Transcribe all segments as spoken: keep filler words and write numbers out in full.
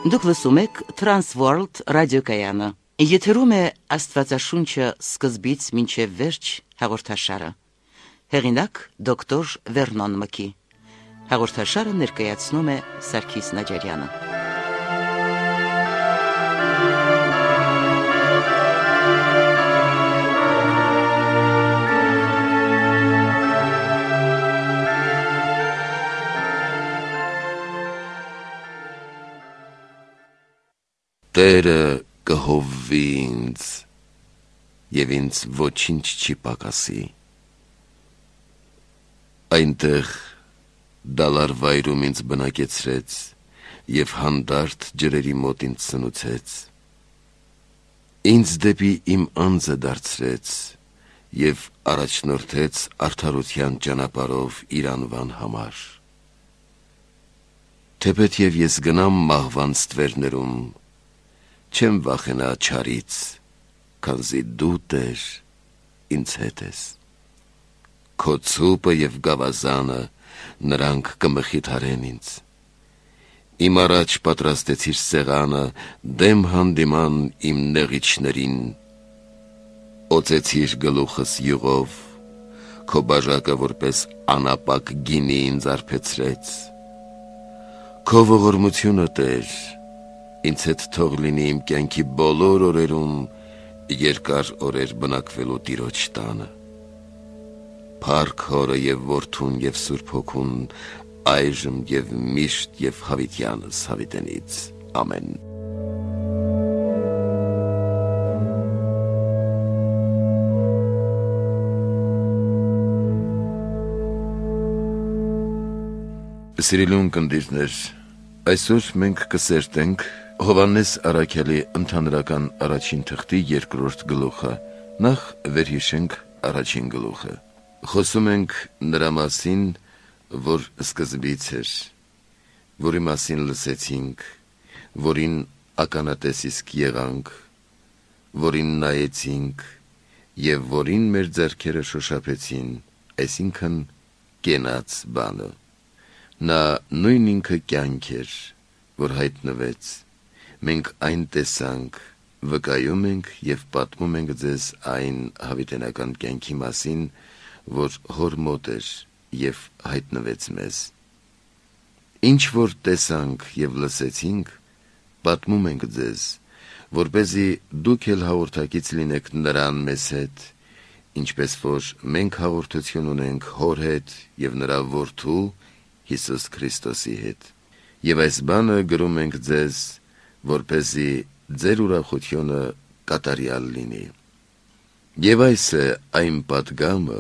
Դուք լսում եք Transworld ռադիոկայանը։ Եթերում է Աստվածաշունչը սկզբից մինչև վերջ հաղորդաշարը։ Հեղինակ դոկտոր Վերնոն Մկի։ Հաղորդաշարը ներկայացնում է Սարգիս Նաջարյանը։ Տերը կհովվի ինձ, և ինձ ոչինչ չի պակասի։ Այնտեղ դալար վայրում ինձ բնակեցրեց, և հանդարտ ջրերի մոտ ինձ սնուցեց։ Ինձ դեպի իմ անձը դարձրեց, և առաջնորդեց արդարության ճանապարհով իր անվան համար։ Թեպեթև ես գնամ մահվան ստվերներում, չեմ վախենա չարից, քանզի դու, Տեր, ինձ հետ ես։ Քո ցուպը և գավազանը նրանք կմխիթարեն ինձ։ Իմ առաջ պատրաստեցիր սեղանը դեմ հանդիման իմ նեղիչներին։ Օծեցիր գլուխս յուղով, քո բաժակը որպես անապակ գինի ինձ արբեցրեց։ Քո ողորմությունը, Տեր, ինձ հետ թող լինի իմ կյանքի բոլոր օրերում, երկար օրեր բնակվելու Տիրոջ տանը։ Փառք Հորը և Որդուն և Սուրբ Հոգուն, այժմ և միշտ և հավիտյանս հավիտենից։ Ամեն։ Սիրելի ունկնդիրներ, այսօր մենք կսերտենք Հովհաննես Առաքյալի ընդհանրական առաջին թղթի երկրորդ գլուխը, նախ վերհիշենք առաջին գլուխը։ Խոսում ենք նրա մասին, որ սկզբից էր, որի մասին լսեցինք, որին ականատես իսկ եղանք, որին նայեցինք և որին մեր ձեռքերը շոշափեցին, այսինքն կենաց բանը։ Նա նույն ինքը կյանք էր, որ հայտնվեց, մենք այն տեսանք, վկայում ենք և պատմում ենք ձեզ այն հավիտենական կյանքի մասին, որ հոր մոտ էր և հայտնվեց մեզ։ Ինչ որ տեսանք և լսեցինք, պատմում ենք ձեզ, որպեսզի դուք էլ հաղորդակից լինեք նրան մեզ հետ, ինչպես որ մենք հաղորդություն ունենք Հոր հետ և նրա Որդու Հիսուս Քրիստոսի հետ։ Եվ այս բանը գրում ենք ձեզ, որպեսզի ձեր ուրախությունը կատարյալ լինի։ Եվ այս է այն պատգամը,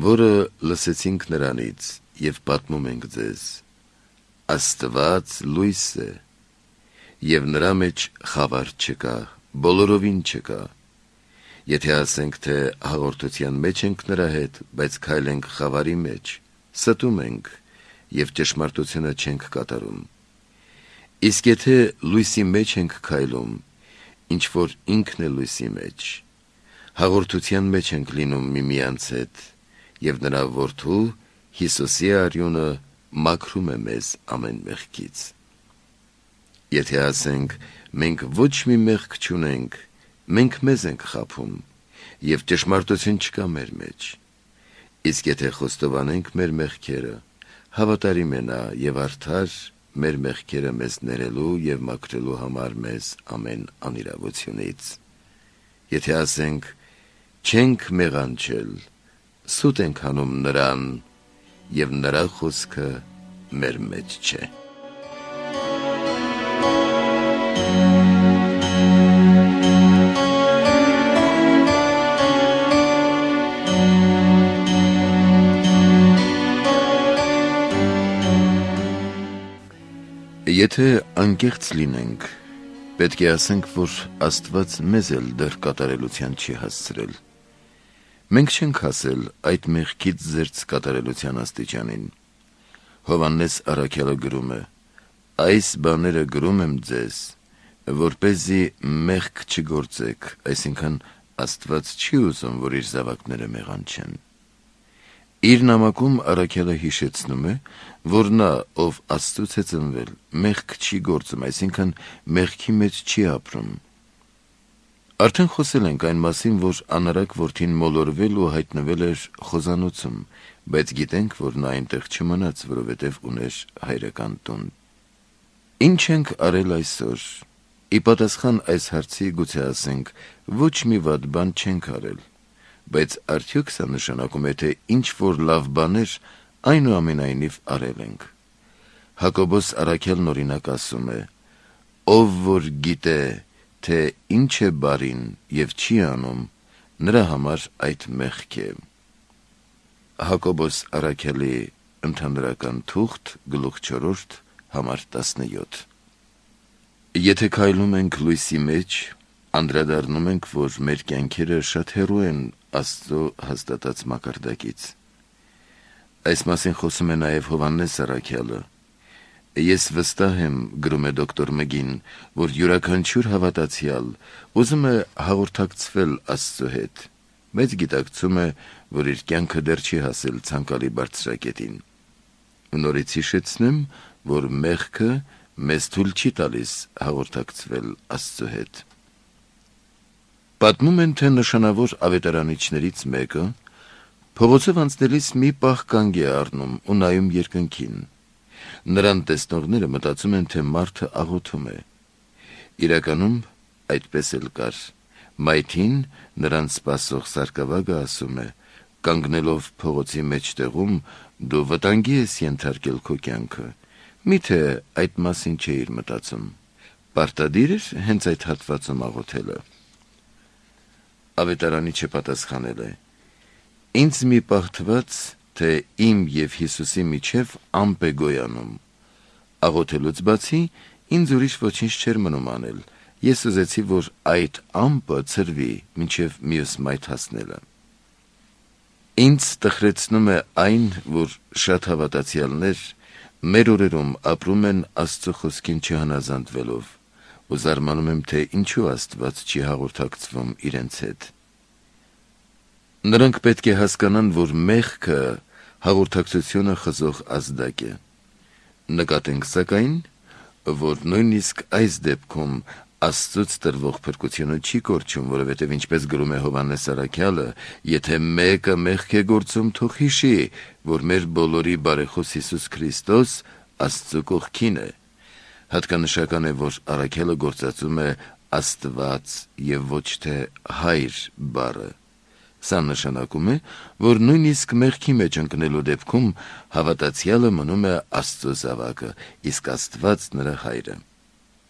որը լսեցինք նրանից և պատմում ենք ձեզ. Աստված լույս է, և նրա մեջ խավար չկա, բոլորովին չկա։ Եթե ասենք, թե հաղորդության մեջ ենք նրա հետ, բայց քայլենք խավարի մեջ, ստում ենք և ճշմարտությունը չենք կատարում։ Իսկ եթե լույսի մեջ ենք քայլում, ինչ որ ինքն է լույսի մեջ, հաղորդության մեջ ենք լինում միմյանց հետ, և նրա Որդու Հիսուսի արյունը մաքրում է մեզ ամեն մեղքից։ Եթե ասենք, մենք ոչ մի մեղք չունենք, մենք մեզ ենք խաբում, և ճշմարտություն չկա մեր մեջ։ Իսկ եթե խոստովանենք մեր մեղքերը, հավատարիմ է նա և արդար մեր մեղքերը մեզ ներելու և մաքրելու համար մեզ ամեն անիրավությունից։ Եթե ասենք, չենք մեղանչել, սուտ ենք անում նրան, և նրա խոսքը մեր մեջ չէ։ Եթե անկեղծ լինենք, պետք է ասենք, որ Աստված մեզ էլ դեռ կատարելության չի հասցրել։ Մենք չենք հասել այդ մեղքից զերծ կատարելության աստիճանին։ Հովհաննես Առաքյալը գրում է. այս բաները գրում եմ ձեզ, որպեսզի մեղք չգործեք, այսինքն Աստված չի ուզում, որ իր զավակները մեղանչեն։ Իր նամակում առաքյալը հիշեցնում է, որ նա, ով Աստծուց է ծնվել, մեղք չի գործում, այսինքն մեղքի մեջ չի ապրում։ Արդեն խոսել ենք այն մասին, որ անարակ որդին մոլորվել ու հայտնվել էր խոզանոցում, բայց գիտենք, որ նա այնտեղ չմնաց, որովհետև ուներ հայրական տուն։ Ինչ ենք արել այսօր։ Ի պատասխան այս հարցի գուցե ասենք, ոչ մի վատ բան չենք արել, բայց արդյոք սա նշանակում է, թե ինչ-որ լավ բաներ այնուամենայնիվ արել ենք։ Հակոբոս առաքյալն օրինակ ասում է. «Ով որ գիտե, թե ինչ է բարին և չի անում, նրա համար այդ մեղք է»։ Հակոբոս առաքյալի ընդհանրական թուղթ, գլուխ չորրորդ, համար տասնյոթ։ Եթե քայլում ենք լույսի մեջ, անդրադառնում ենք, որ մեր կյանքերը շատ հեռու են Աստծո հաստատած մակարդակից։ Այս մասին խոսում է նաև Հովհաննես առաքյալը։ Ես վստահ եմ, գրում է դոկտոր Մգին, որ յուրաքանչյուր հավատացյալ ուզում է հաղորդակցվել Աստծո հետ, բայց գիտակցում է, որ իր կյանքը դեռ չի հասել ցանկալի բարձրակետին։ Նորից հիշեցնեմ, որ մեղքը մեզ թույլ չի տալիս հաղորդակցվել Աստծո հետ։ Պատմում են, թե նշանավոր ավետարանիչներից մեկը փողոցով անցնելիս մի պահ կանգ է առնում ու նայում երկնքին։ Նրան տեսնողները մտածում են, թե մարդը աղոթում է։ Իրականում այդպես էլ կար։ Մայթին նրան սպասող սարկավագը ասում է. «Կանգնելով փողոցի մեջտեղում, դու վտանգի ես ենթարկել քո կյանքը։ Միթե այդ մասին չէիր մտածում։ Պարտադիր էր հենց այդ հատվածում աղոթելը»։ Ավետարանիչը պատասխանել է. «Ինձ մի պահ թվաց, թե իմ և Հիսուսի միջև ամպ է գոյանում։ Աղոթելուց բացի ինձ ուրիշ ոչինչ չէր մնում անել։ Ես ուզեցի, որ այդ ամպը ցրվի մինչև մյուս մայթ հասնելը»։ Ինձ տխրեցնում է այն, որ շատ հավատացյալներ մեր օրերում ապրում են Աստծո խոսքին չհնազանդվելով, ու զարմանում եմ, թե ինչու Աստված չի հաղորդակցվում իրենց հետ։ Նրանք պետք է հասկանան, որ մեղքը հաղորդակցությունը խզող ազդակ է։ Նկատենք սակայն, որ նույնիսկ այս դեպքում Աստծուց տրվող փրկությունը չի կորչում, որովհետև ինչպես գրում է Հովհաննես առաքյալը, եթե մեկը մեղք է գործում, թող հիշի, որ մեր բոլորի բարեխոս Հիսուս Քրիստոս Աստծո կողքին է։ Հատկանշական է, որ առաքյալը գործածում է Աստված և ոչ թե Հայր բառը։ Սա նշանակում է, որ նույնիսկ մեղքի մեջ ընկնելու դեպքում հավատացյալը մնում է Աստծո զավակը, իսկ Աստված նրա Հայրը։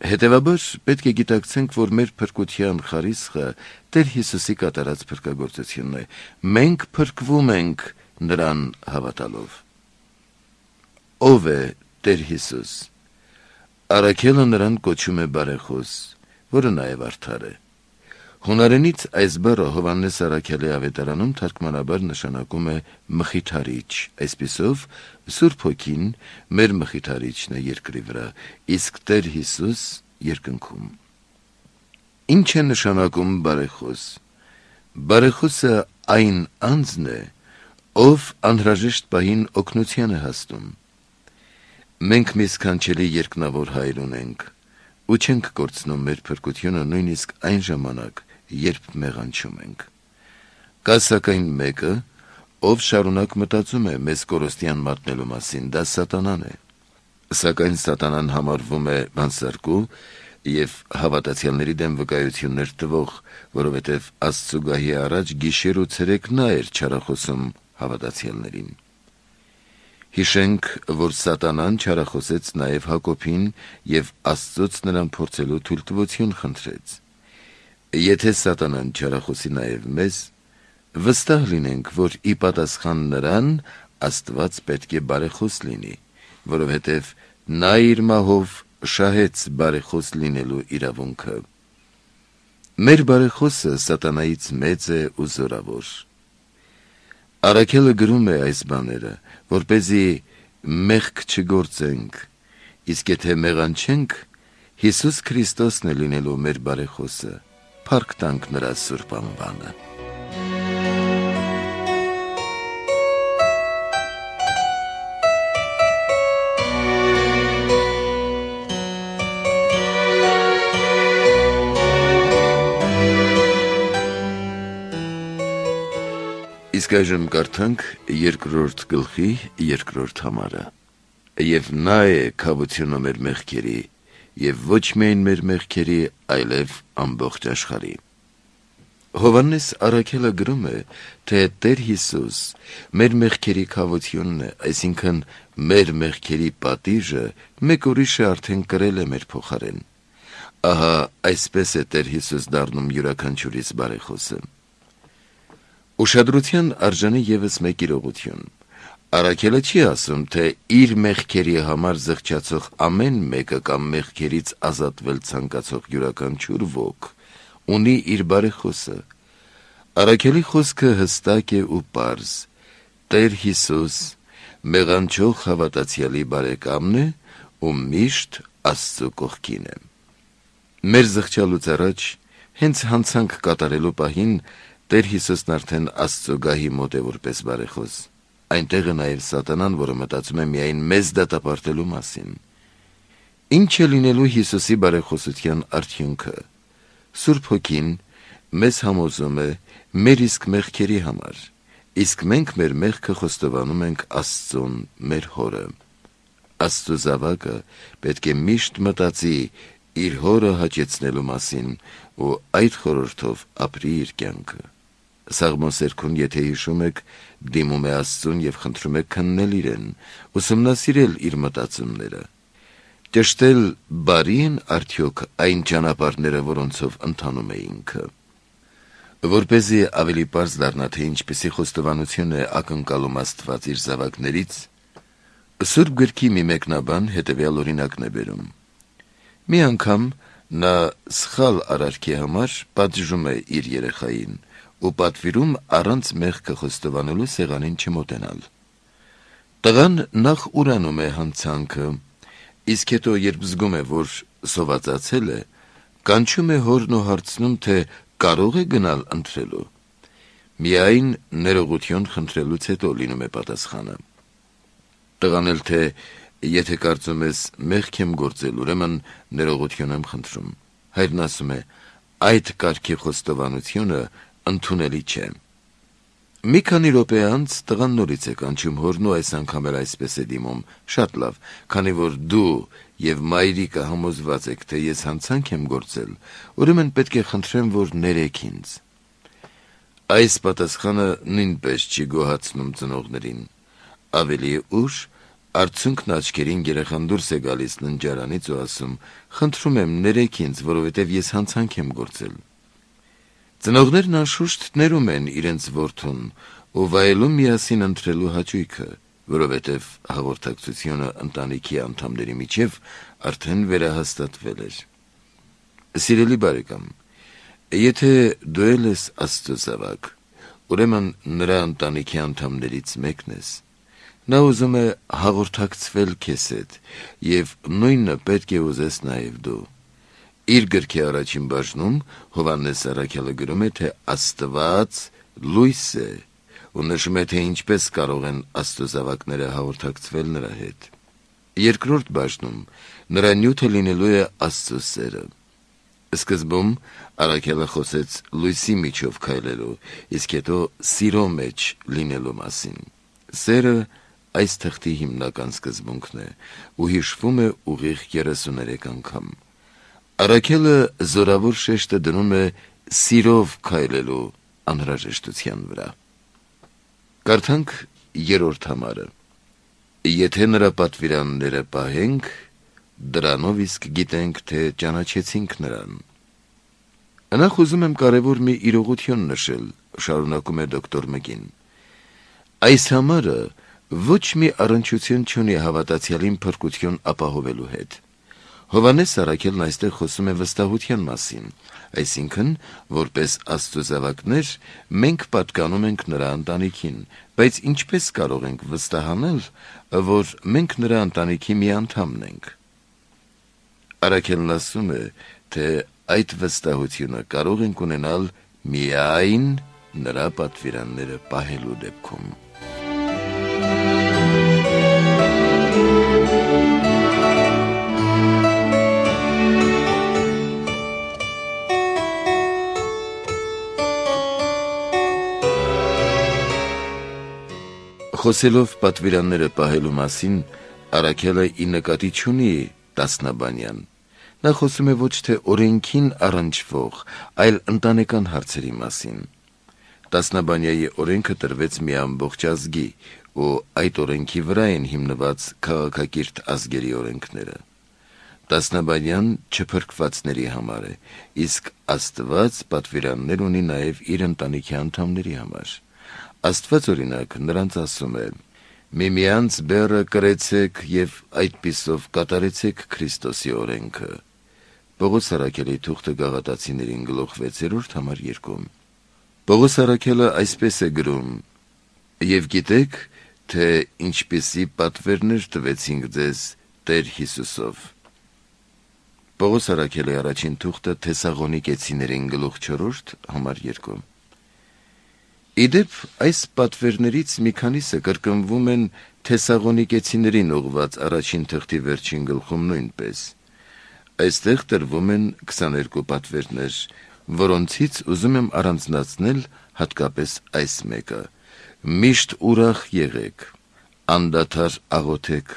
Հետևաբար պետք է գիտակցենք, որ մեր փրկության խարիսխը Տեր Հիսուսի կատարած փրկագործությունն է։ Մենք փրկվում ենք նրան հավատալով։ Ո՞վ է Տեր Հիսուս։ Առաքյալը նրան կոչում է բարեխոս, որը նաև արդար է։ Հունարենից այս բառը Հովհաննես առաքյալի ավետարանում թարգմանաբար նշանակում է մխիթարիչ, այսպիսով Սուրբ Հոգին մեր մխիթարիչն է երկրի վրա, իսկ Տեր Հիսուս երկնքում։ Ինչ է նշանակում բարեխոս։ Բարեխոսը այն անձն է, ով անհրաժեշտ պահին օգնության է հասնում։ Մենք մի սքանչելի երկնավոր Հայր ունենք ու չենք կորցնում մեր փրկությունը նույնիսկ այն ժամանակ, երբ մեղանչում ենք։ Կա սակայն մեկը, ով շարունակ մտածում է մեզ կորստյան մատնելու մասին, դա Սատանան է։ Սակայն Սատանան համարվում է բանսարկու և հավատացյալների դեմ վկայություններ տվող, որովհետև Աստծու գահի առաջ գիշեր ու ցերեկ նա էր չարախոսում հավատացյալներին։ Հիշենք, որ Սատանան չարախոսեց նաև Հակոբին և Աստծոց նրան փորձելու թույլտվություն խնդրեց։ Եթե Սատանան չարախոսի նաև մեզ, վստահ լինենք, որ ի պատասխան նրան Աստված պետք է բարեխոս լինի, որովհետև նա իր մահով շահեց բարեխոս լինելու իրավունքը։ Մեր բարեխոսը Սատանայից մեծ է ու զորավոր։ Առաքյալը գրում է այս բաները, որպեսզի մեղք չգործենք, իսկ եթե մեղանչենք, Հիսուս Քրիստոսն է լինելու մեր բարեխոսը։ Փառք տանք նրա սուրբ անվանը։ Իսկ այժմ կարդանք երկրորդ գլխի երկրորդ համարը։ Եվ նա է քավությունը մեր մեղքերի, եւ ոչ միայն մեր մեղքերի, այլև ամբողջ աշխարհի։ Հովհաննես առաքելը գրում է, թե Տեր Հիսուս մեր մեղքերի քավությունն է, այսինքն մեր մեղքերի պատիժը մեկ ուրիշը արդեն կրել է մեր փոխարեն։ Ահա այսպես է Տեր Հիսուս դառնում յուրաքանչյուրիս բարեխոսը։ Ուշադրության արժանի ևս մեկ իրողություն։ Առաքելը չի ասում, թե իր մեղքերի համար զղջացող ամեն մեկը կամ մեղքերից ազատվել ցանկացող յուրաքանչյուր ոք ունի իր բարեխոսը։ Առաքելի խոսքը հստակ է ու պարզ։ Տեր Հիսուս մեղանչող հավատացյալի բարեկամն է ու միշտ Աստծո կողքին է։ Մեր զղջալուց առաջ, հենց հանցանք կատարելու պահին, Տեր Հիսուսն արդեն Աստծո գահի մոտ է որպես բարեխոս։ Այնտեղ է նաև Սատանան, որը մտածում է միայն մեզ դատապարտելու մասին։ Ինչ է լինելու Հիսուսի բարեխոսության արդյունքը։ Սուրբ Հոգին մեզ համոզում է մեր իսկ մեղքերի համար, իսկ մենք մեր մեղքը խոստովանում ենք Աստծուն, մեր Հորը։ Աստծո զավակը պետք է միշտ մտածի իր Հորը հաճեցնելու մասին ու այդ խորհրդով ապրի իր կյանքը։ Սաղմոսերքում, եթե հիշում եք, դիմում է Աստծուն եւ խնդրում է քննել իրեն, ուսումնասիրել իր մտածումները։ Ճշտել բարի են արդյոք այն ճանապարհները, որոնցով ընթանում է ինքը։ Որպեսզի ավելի պարզ դառնա, թե ինչպիսի խոստովանություն է ակնկալում Աստված իր զավակներից, Սուրբ գրքի մի մեկնաբան հետևյալ օրինակն է բերում։ Մի անգամ նա սխալ արարքի համար պատժում է իր երեխային ու պատվիրում առանց մեղքը խոստովանելու սեղանին չմոտենալ։ Տղան նախ ուրանում է հանցանքը, իսկ հետո երբ զգում է, որ սովածացել է, կանչում է հորն ու հարցնում, թե կարող է գնալ ընթրելու։ Միայն ներողություն խնդրելուց հետո լինում է պատասխանը։ Տղան էլ թե եթե կարծում ես մեղք եմ գործել, ուրեմն ներողություն եմ խնդրում։ Հայրն ասում է, այդ կարգի խոստովանությունը ընդունելի չէ։ Մի քանի րոպե անց տղան նորից է կանչում հորն ու այս անգամ էլ այսպես է դիմում. շատ լավ, քանի որ դու եւ մայրիկը համոզված եք, թե ես հանցանք եմ գործել, ուրեմն պետք է խնդրեմ, որ ներեք ինձ։ Այս պատասխանը նույնպես չի գոհացնում ծնողներին։ Ավելի ուշ Արցունքն աչքերին երեխան դուրս է գալիս ննջարանից ու ասում. խնդրում եմ ներեք ինձ, որովհետև ես հանցանք եմ գործել։ Ծնողներն անշուշտ ներում են իրենց որդուն ու վայելում միասին ընթրելու հաճույքը, որովհետև հաղորդակցությունը ընտանիքի անդամների միջև արդեն վերահաստատվել էր։ Սիրելի բարեկամ, եթե դու ես Աստծո զավակ, ուրեմն նրա ընտանիքի անդամներից մեկն ես։ Նա ուզում է հաղորդակցվել քեզ հետ եւ նույնը պետք է ուզես նաեւ դու։ Իր գրքի առաջին բաժնում Հովհաննես առաքյալը գրում է, թե Աստված լույս է ու նշում է, թե ինչպես կարող են Աստծո զավակները հաղորդակցվել նրա հետ։ Երկրորդ բաժնում նրա նյութը լինելու է Աստծո սերը։ Սկզբում առաքյալը խոսեց լույսի միջով քայլելու, իսկ հետո սիրո մեջ լինելու մասին։ Սերը այս թղթի հիմնական սկզբունքն է ու հիշվում է ուղիղ երեսուներեք անգամ։ Առաքելը զորավոր շեշտը դնում է սիրով քայլելու անհրաժեշտության վրա։ Կարդանք երրորդ համարը։ Եթե նրա պատվիրանները պահենք, դրանով իսկ գիտենք, թե ճանաչեցինք նրան։ Նախ ուզում եմ կարևոր մի իրողություն նշել, շարունակում է դոկտոր Մկին։ Այս համարը ոչ մի առնչություն չունի հավատացյալին փրկություն ապահովելու հետ։ Հովհաննես առաքելն այստեղ խոսում է վստահության մասին, այսինքն, որպես Աստծո զավակներ, մենք պատկանում ենք նրա ընտանիքին, բայց ինչպես կարող ենք վստահանել, որ մենք նրա ընտանիքի մի անդամն ենք։ Առաքելն ասում է, թե այդ վստահությունը կարող ենք ունենալ միայն նրա պատվիրանները պահելու դեպքում։ Խոսելով պատվիրանները պահելու մասին, Առաքելը ի նկատի չունի Տասնաբանյան։ Նա խոսում է ոչ թե օրենքին առնչվող, այլ ընտանեկան հարցերի մասին։ Տասնաբանյայի օրենքը տրվեց մի ամբողջ ազգի, ու այդ օրենքի վրա են հիմնված քաղաքակիրթ ազգերի օրենքները։ Տասնաբանյան չփրկվածների համար է, իսկ Աստված պատվիրաններ ունի նաև իր ընտանիքի անդամների համար։ Աստված օրինակ նրանց ասում է. «Միմյանց բեռը կրեցեք և այդպիսով կատարեցեք Քրիստոսի օրենքը»։ Պողոս առաքելի թուղթը Գաղատացիներին գլուխ վեցերորդ համար երկում։ Պողոս առաքելը այսպես է գրում. «Եվ գիտեք, թե ինչպիսի պատվերներ տվեցինք ձեզ Տեր Հիսուսով»։ Պողոս առաքելի առաջին թուղթը Թեսաղոնիկեցիներին գլուխ չորրորդ համար երկում։ Իդեպ այս պատվերներից մի քանիսը կրկնվում են Թեսաղոնիկեցիներին ուղված առաջին թղթի վերջին գլխում նույնպես։ Այստեղ տրվում են քսաներկու պատվերներ, որոնցից ուզում եմ առանձնացնել հատկապես այս մեկը. «Միշտ ուրախ եղեք, անդադար աղոթեք,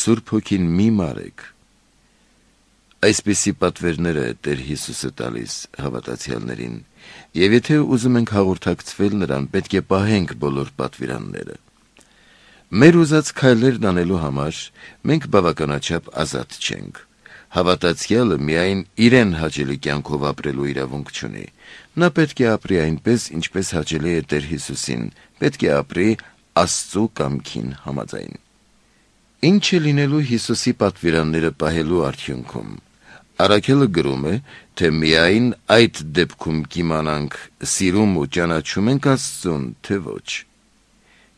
Սուրբ Հոգին մի մարեք»։ Այսպիսի պատվերներ է Տեր Հիսուսը տալիս հավատացյալներին, և եթե ուզում ենք հաղորդակցվել նրան, պետք է պահենք բոլոր պատվիրանները։ Մեր ուզած քայլերն անելու համար մենք բավականաչափ ազատ չենք։ Հավատացյալը միայն իրեն հաճելի կյանքով ապրելու իրավունք չունի։ Նա պետք է ապրի այնպես, ինչպես հաճելի է Տեր Հիսուսին, պետք է ապրի Աստծու կամքին համաձայն։ Ինչ է լինելու Հիսուսի պատվիրանները պահելու արդյունքում։ Առաքելը գրում է, թե միայն այդ դեպքում կիմանանք սիրում ու ճանաչում ենք Աստծուն, թե ոչ։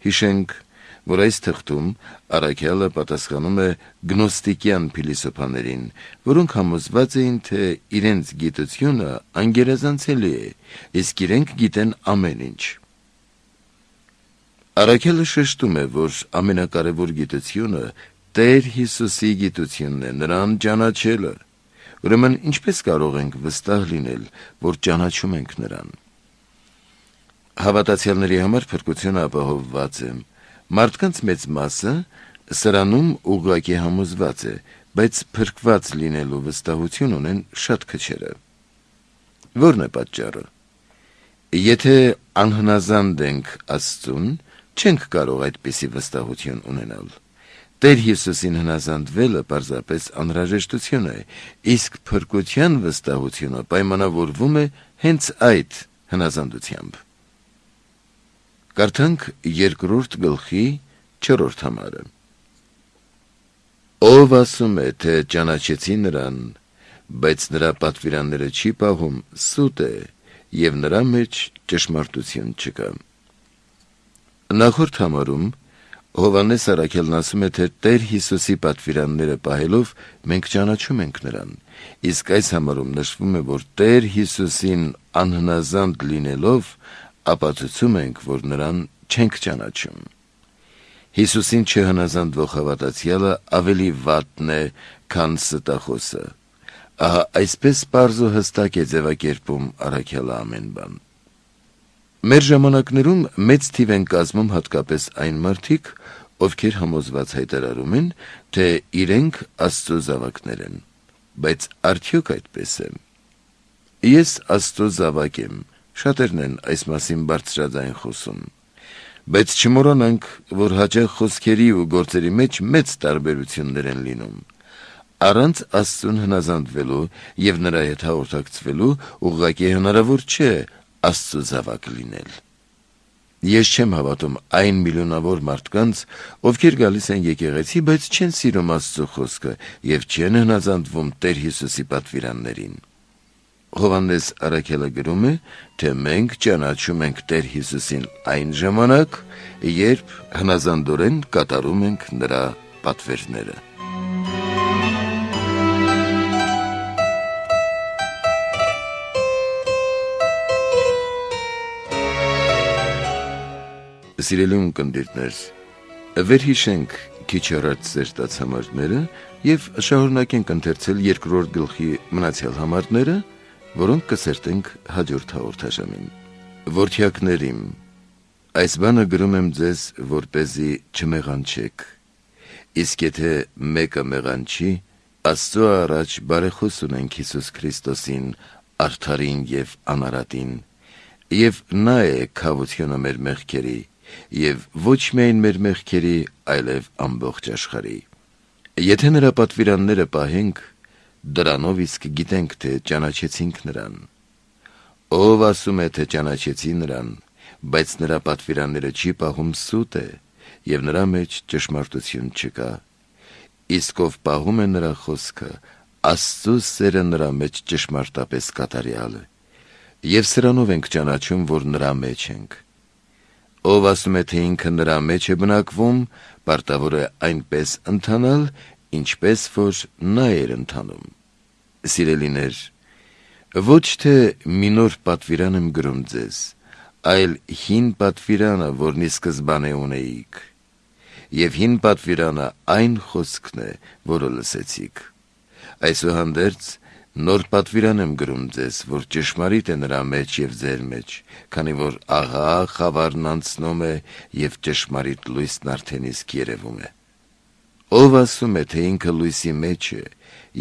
Հիշենք, որ այս թղթում առաքելը պատասխանում է գնոստիկյան փիլիսոփաներին, որոնք համոզված էին, թե իրենց գիտությունը անգերազանցելի է, իսկ իրենք գիտեն ամեն ինչ։ Առաքելը շեշտում է, որ ամենակարևոր գիտությունը Տեր Հիսուսի գիտությունն է, նրան ճանաչելը։ Ուրեմն ինչպես կարող ենք վստահ լինել, որ ճանաչում ենք նրան։ Հավատացյալների համար փրկությունը ապահովված է։ Մարդկանց մեծ մասը սրանում ուղղակի համոզված է, բայց փրկված լինելու վստահություն ունեն շատ քչերը։ Ո՞րն է պատճառը։ Եթե անհնազանդ ենք Աստծուն, չենք կարող այդպիսի վստահություն ունենալ։ Տեր Հիսուսին հնազանդվելը պարզապես անհրաժեշտություն է, իսկ փրկության վստահությունը պայմանավորվում է հենց այդ հնազանդությամբ։ Կարդանք երկրորդ գլխի չորրորդ համարը։ Ով ասում է, թե ճանաչեցի նրան, բայց նրա պատվիրանները չի պահում, սուտ է, և նրա մեջ ճշմարտություն չկա։ Նախորդ համարում Հովհաննես առաքելն ասում է, թե Տեր Հիսուսի պատվիրանները պահելով մենք ճանաչում ենք նրան, իսկ այս համարում նշվում է, որ Տեր Հիսուսին անհնազանդ լինելով ապացուցում ենք, որ նրան չենք ճանաչում։ Հիսուսին չհնազանդվող հավատացյալը ավելի վատն է, քան ստախոսը։ Ահա այսպես պարզ ու հստակ է ձևակերպում առաքելը ամեն բան։ Մեր ժամանակներում մեծ թիվ են կազմում հատկապես այն մարդիկ, ովքեր համոզված հայտարարում են, թե իրենք Աստծո զավակներ են, բայց արդյոք այդպես է։ Ես Աստծո զավակ եմ, շատերն են այս մասին բարձրաձայն խոսում, բայց չմոռանանք, որ հաճախ խոսքերի ու գործերի մեջ մեծ տարբերություններ են լինում։ Առանց Աստծուն հնազանդվելու և նրա հետ հաղորդակցվելու ուղղակի հնարավոր չէ Աստծո զավակ լինել։ Ես չեմ հավատում այն միլիոնավոր մարդկանց, ովքեր գալիս են եկեղեցի, բայց չեն սիրում Աստծո խոսքը և չեն հնազանդվում Տեր Հիսուսի պատվիրաններին։ Հովհաննես առաքելը գրում է, թե մենք ճանաչում ենք Տեր Հիսուսին այն ժամանակ, երբ հնազանդորեն կատարում ենք նրա պատվերները։ Սիրելի ունկնդիրներ, վերհիշենք քիչ առաջ ծերտած համարները և շարունակենք ընթերցել երկրորդ գլխի մնացյալ համարները, որոնք կսերտենք հաջորդ հաղորդաշարին։ Որդյակներ իմ, Այս բանը գրում եմ ձեզ, որպեսզի չմեղանչեք։ Իսկ եթե մեկը մեղանչի, Աստծո առաջ բարեխոս ունենք Հիսուս Քրիստոսին, արդարին եւ անարատին, եւ նա է քավությունը մեր մեղքերի, եւ ոչ միայն մեր մեղքերի, այլև ամբողջ աշխարհի։ Եթե նրա պատվիրանները պահենք, դրանով իսկ գիտենք, թե ճանաչեցինք նրան։ Ով ասում է, թե ճանաչեցի նրան, բայց նրա պատվիրանները չի պահում, սուտ է, եւ նրա մեջ ճշմարտություն չկա։ Իսկ ով պահում է նրա խոսքը, Աստծո սերը նրա մեջ ճշմարտապես կատարյալ է, եւ սրանով ենք ճանաչում, որ նրա մեջ ենք։ Ով ասում է, թե ինքը նրա մեջ է բնակվում, պարտավոր է այնպես ընթանալ, ինչպես որ նա էր ընթանում։ Սիրելիներ, ոչ թե մի նոր պատվիրան եմ գրում ձեզ, այլ հին պատվիրանը, որն ի սկզբանե ունեիք, եւ հին պատվիրանը այն խոսքն է, որը լսեցիք։ Այսուհանդերձ նոր պատվիրան եմ գրում ձեզ, որ ճշմարիտ է նրա մեջ եւ ձեր մեջ, քանի որ աղա խավարն անցնում է եւ ճշմարիտ լույսն արդեն իսկ երևում է։ Ով ասում է, թե ինքը լույսի մեջ է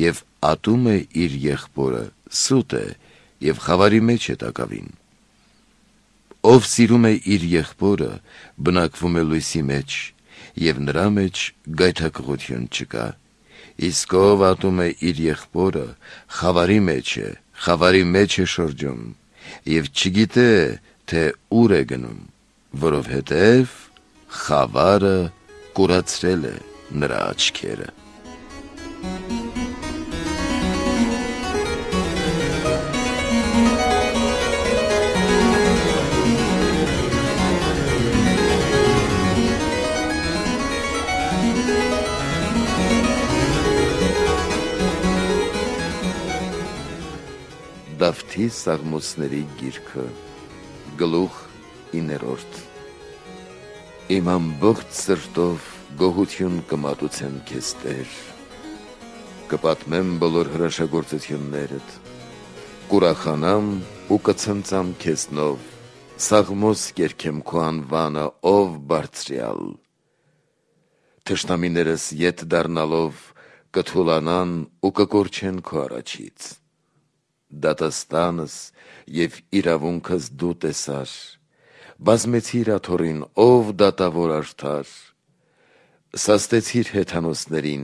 եւ ատում է իր եղբորը, սուտ է եւ խավարի մեջ է տակավին։ Ով սիրում է իր եղբորը, բնակվում է լույսի մեջ, եւ նրա մեջ գայթակղություն չկա։ Իսկ ով ատում է իր եղբորը, խավարի մեջ է, խավարի մեջ է շրջում, եւ չգիտե, թե ուր է գնում, որովհետեւ խավարը կուրացրել է նրա աչքերը։ Դավթի Սաղմոսների գիրքը, գլուխ իններորդ։ Իմ ամբողջ սրտով գոհություն կմատուցեմ քեզ, Տեր, կպատմեմ բոլոր հրաշագործություններդ, կուրախանամ ու կցնծամ քեզնով, սաղմոս կերքեմ քո անվանը, ով բարձրյալ։ Թշնամիներս ետ դառնալով կթուլանան ու կկորչեն քո առաջից։ Դատաստանս եւ իրավունքս դու տեսար, բազմեցիր աթոռին, ով դատավոր արդար, սաստեցիր հեթանոսներին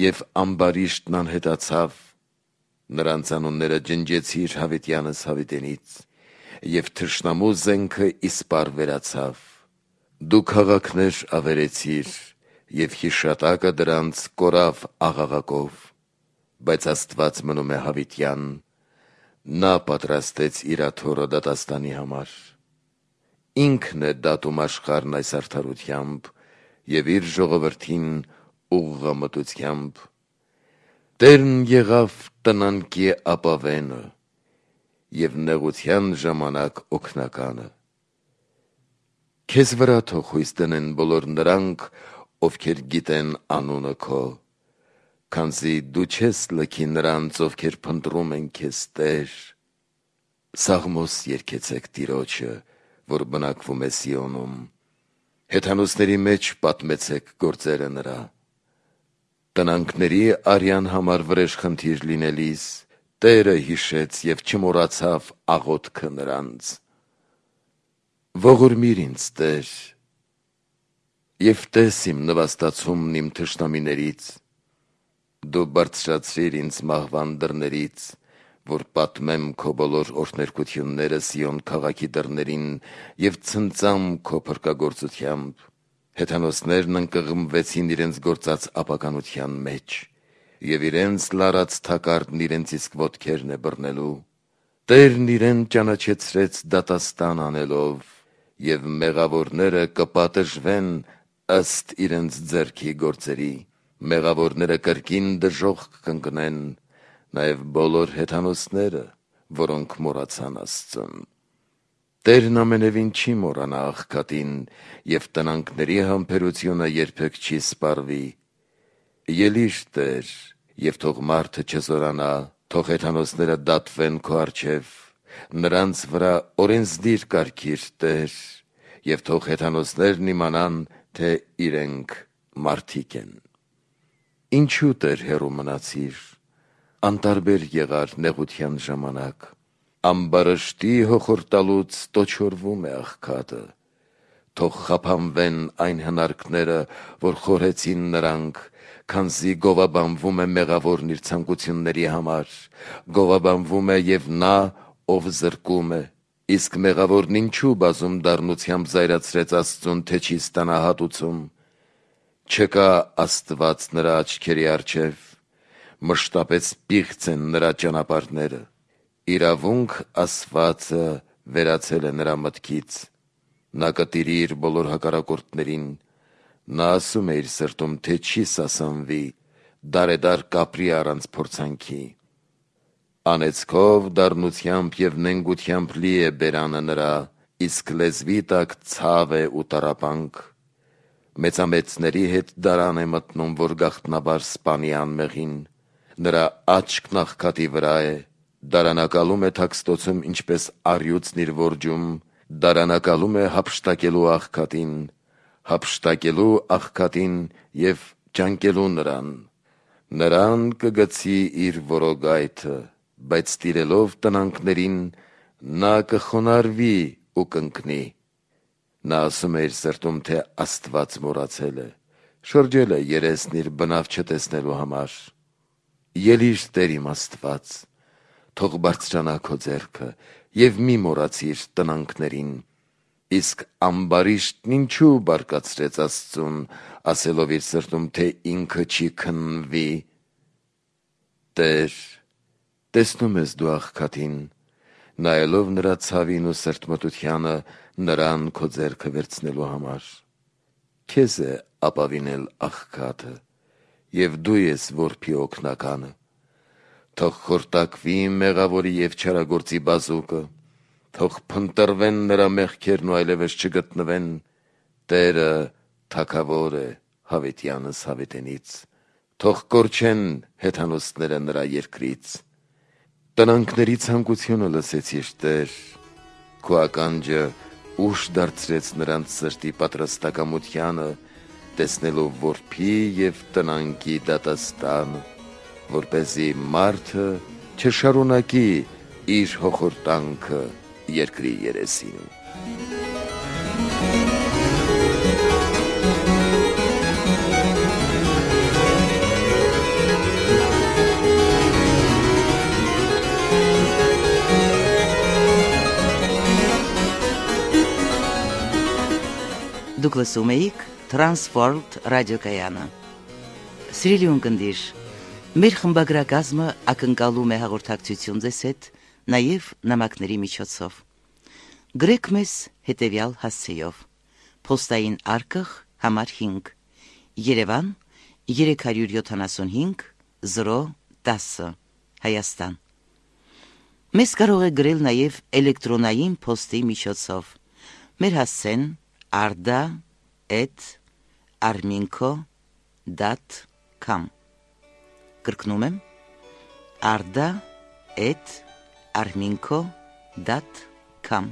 եւ ամբարիշտն անհետացավ, նրանց անունները ջնջեցիր հավիտյանս հավիտենից եւ թշնամու զենքը իսպար վերացավ։ Դու քաղաքներ ավերեցիր եւ հիշատակը դրանց կորավ աղաղակով, բայց Աստված մնում է հավիտյան, նա պատրաստեց իր աթոռը դատաստանի համար։ Ինքն է դատում աշխարհն այս արդարությամբ եւ իր ժողովրդին ուղղամտությամբ։ Տերն եղավ տնանկի ապավենը եւ նեղության ժամանակ օգնականը։ Քեզ վրա թող հույս դնեն բոլոր նրանք, ովքեր գիտեն անունը քո, քանզի դու չես լքի նրանց, ովքեր փնտրում են քեզ, Տեր։ Սաղմոս երգեցեք Տիրոջը, որ բնակվում է Սիոնում, հեթանոսների մեջ պատմեցեք գործերը նրա։ Տնանքների արյան համար վրեժխնդիր լինելիս, Տերը հիշեց եւ չմոռացավ աղոթքը նրանց։ Ողորմիր ինձ, Տեր, եւ տես իմ նվաստացումն իմ թշնամիներից, դու բարձրացրիր ինձ մահվան դռներից, որ պատմեմ քո բոլոր օրհներկությունները Սիոն քաղաքի դռներին եւ ցնծամ քո փրկագործությամբ։ Հեթանոսներն ընկղմվեցին իրենց գործած ապականության մեջ, եւ իրենց լարած թակարդն իրենց իսկ ոտքերն է բռնելու։ Տերն իրեն ճանաչեցրեց դատաստան անելով, եւ մեղավորները կպատժվեն ըստ իրենց ձեռքի գործերի, մեղավորները կրկին դժոխք կընկնեն, նաեւ բոլոր հեթանոսները, որոնք մոռացան Աստծուն։ Տերն ամենևին չի մոռանա աղքատին, եւ տնանքների համբերությունը երբեք չի սպառվի։ Ելիր, Տեր, եւ թող մարդը չզորանա, թող հեթանոսները դատվեն քո առջև, նրանց վրա օրենսդիր կարգիր, Տեր, եւ թող հեթանոսներն իմանան, թե իրենք մարդիկ են։ Ինչու Տեր հեռու մնացիր, անտարբեր եղար նեղության ժամանակ, ամբարշտի հոխորտալուց տոչորվում է աղքատը, թող խափանվեն այն հնարքները, որ խորհեցին նրանք, քանզի գովաբանվում է մեղավորն իր ցանկությունների համար, գովաբանվում է եւ նա, ով զրկում է, իսկ մեղավորն ինչու բազում դառնությամբ զայրացրեց Աստծուն, թե չի ստանա հատուցում, չկա Աստված նրա աչքերի առջև, մշտապես պիղծ են նրա ճանապարհները, իրավունք ասվածը վերացել է նրա մտքից, նա կտիրի իր բոլոր հակառակորդներին, նա ասում է իր սրտում, թե չի սասանվի, դարեդար կապրի առանց փորձանքի, անեծքով, դառնությամբ եւ նենգությամբ լի է բերանը նրա, իսկ լեզվի տակ ցավ է ու տառապանք, մեծամեծների հետ դարան է մտնում, որ գաղտնաբար սպանի անմեղին, նրա աչքն աղքատի վրա է, դարանակալում է թաքստոցում ինչպես առյուծն իր որջում, դարանակալում է հափշտակելու աղքատին, հափշտակելու աղքատին եւ ճանկելու նրան, նրան կգցի իր որոգայթը, բայց տիրելով տնանքներին, նա կխոնարհվի ու կընկնի, նա ասում է իր սրտում, թե Աստված մոռացել է, շրջել է երեսն իր բնավ չտեսնելու համար, ելիր Տեր իմ Աստված, թող բարձրանա քո ձեռքը եւ մի մոռացիր տնանքներին, իսկ ամբարիշտն ինչու բարկացրեց Աստծուն, ասելով իր սրտում, թե ինքը չի քննվի, Տեր, տեսնում ես դու աղքատին, նայելով նրա ցավին ու սրտմտությանը, նրան քո ձեռքը վերցնելու համար, քեզ է ապավինել աղքատը, եւ դու ես որբի օգնականը, թող խորտակվի մեղավորի եւ չարագործի բազուկը, թող փնտրվեն նրա մեղքերն ու այլևս չգտնվեն, Տերը թագավոր է հավիտյանս հավիտենից, թող կորչեն հեթանոսները նրա երկրից, տնանքների ցանկությունը լսեցիր Տեր, քո ականջը ուշ դարձրեց նրանց սրտի պատրաստակամությանը, տեսնելով որբի եւ տնանքի դատաստանը, որպեսզի մարդը չշարունակի իր հոխորտանքը երկրի երեսին։ Դուք լսում էիք Transworld ռադիոկայանը։ Սիրելի ունկնդիր, մեր խմբագրակազմը ակնկալում է հաղորդակցություն ձեզ հետ նաև նամակների միջոցով։ Գրեք մեզ հետևյալ հասցեով. Պոստային արկղ համար հինգ, Երևան երեք հարյուր յոթանասունհինգ զիրո տասը, Հայաստան։ Մեզ կարող է գրել նաև էլեկտրոնային պոստի միջոցով։ Մեր հասցեն arda at arminco dot com Կրկնում եմ arda at arminco dot com